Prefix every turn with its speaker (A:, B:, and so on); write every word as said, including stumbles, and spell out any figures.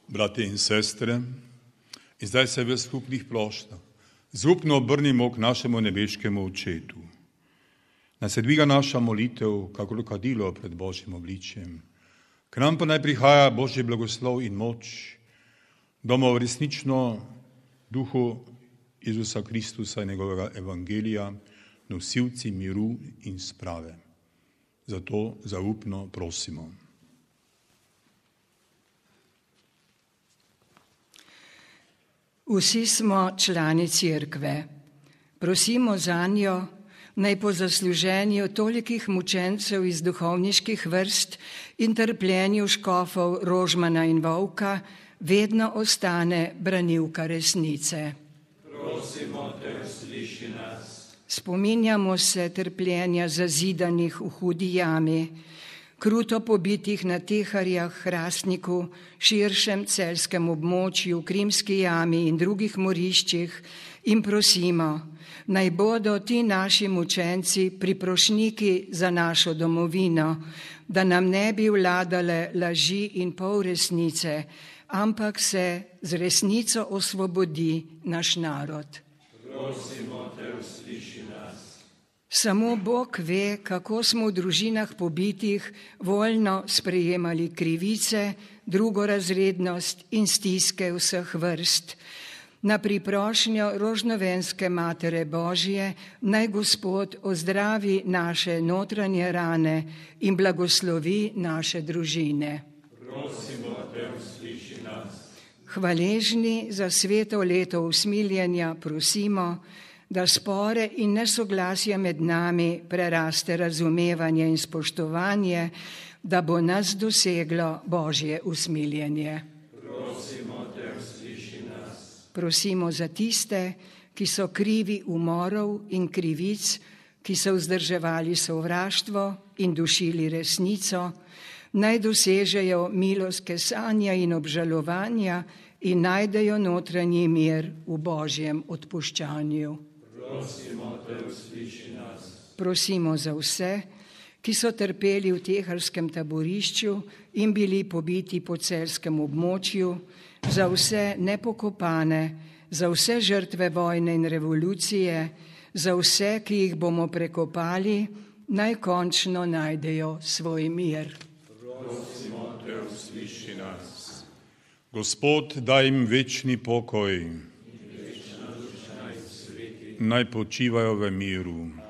A: Brate in sestre, in zdaj se v skupnih ploštah zupno obrnimo k našemu nebeškemu Očetu. Naj se dviga naša molitev, kakor kadilo pred Božjim obličjem. K nam pa naj prihaja Božji blagoslov in moč, bomo resnično duhu Jezusa Kristusa in njegovega evangelija nosilci miru in sprave. Zato zaupno prosimo.
B: Vsi smo člani Cerkve. Prosimo zanjo, naj po zasluženju tolikih mučencev iz duhovniških vrst in trpljenju škofov Rožmana in Volka vedno ostane branilka resnice.
C: Prosimo te, usliši nas.
B: Spominjamo se trpljenja zazidanih v hudi jami, kruto pobitih na Teharjah, Hrastniku, širšem celjskem območju, Krimski jami in drugih moriščih in prosimo, naj bodo ti naši mučenci priprošniki za našo domovino, da nam ne bi vladale laži in polresnice, ampak se z resnico osvobodi naš narod.
C: Prosimo te, usliši nas.
B: Samo Bog ve, kako smo v družinah pobitih voljno sprejemali krivice, drugorazrednost in stiske vseh vrst. Na priprošnjo Rožnovenske Matere Božje naj Gospod ozdravi naše notranje rane in blagoslovi naše družine.
C: Prosimo te, usliši nas.
B: Hvaležni za sveto leto usmiljenja prosimo, da spore in nesoglasje med nami preraste razumevanje in spoštovanje, da bo nas doseglo Božje usmiljenje.
C: Prosimo te, usliši nas.
B: Prosimo za tiste, ki so krivi umorov in krivic, ki so vzdrževali sovraštvo in dušili resnico, naj dosežejo milost kesanja in obžalovanja in najdejo notranji mir v Božjem odpuščanju.
C: Prosimo te, usliši nas.
B: Prosimo za vse, ki so trpeli v teharskem taborišču in bili pobiti po celjskem območju, za vse nepokopane, za vse žrtve vojne in revolucije, za vse, ki jih bomo prekopali, naj končno najdejo svoj mir.
C: Prosimo te, usliši nas.
A: Gospod, daj jim večni pokoj, naj počivajo v miru.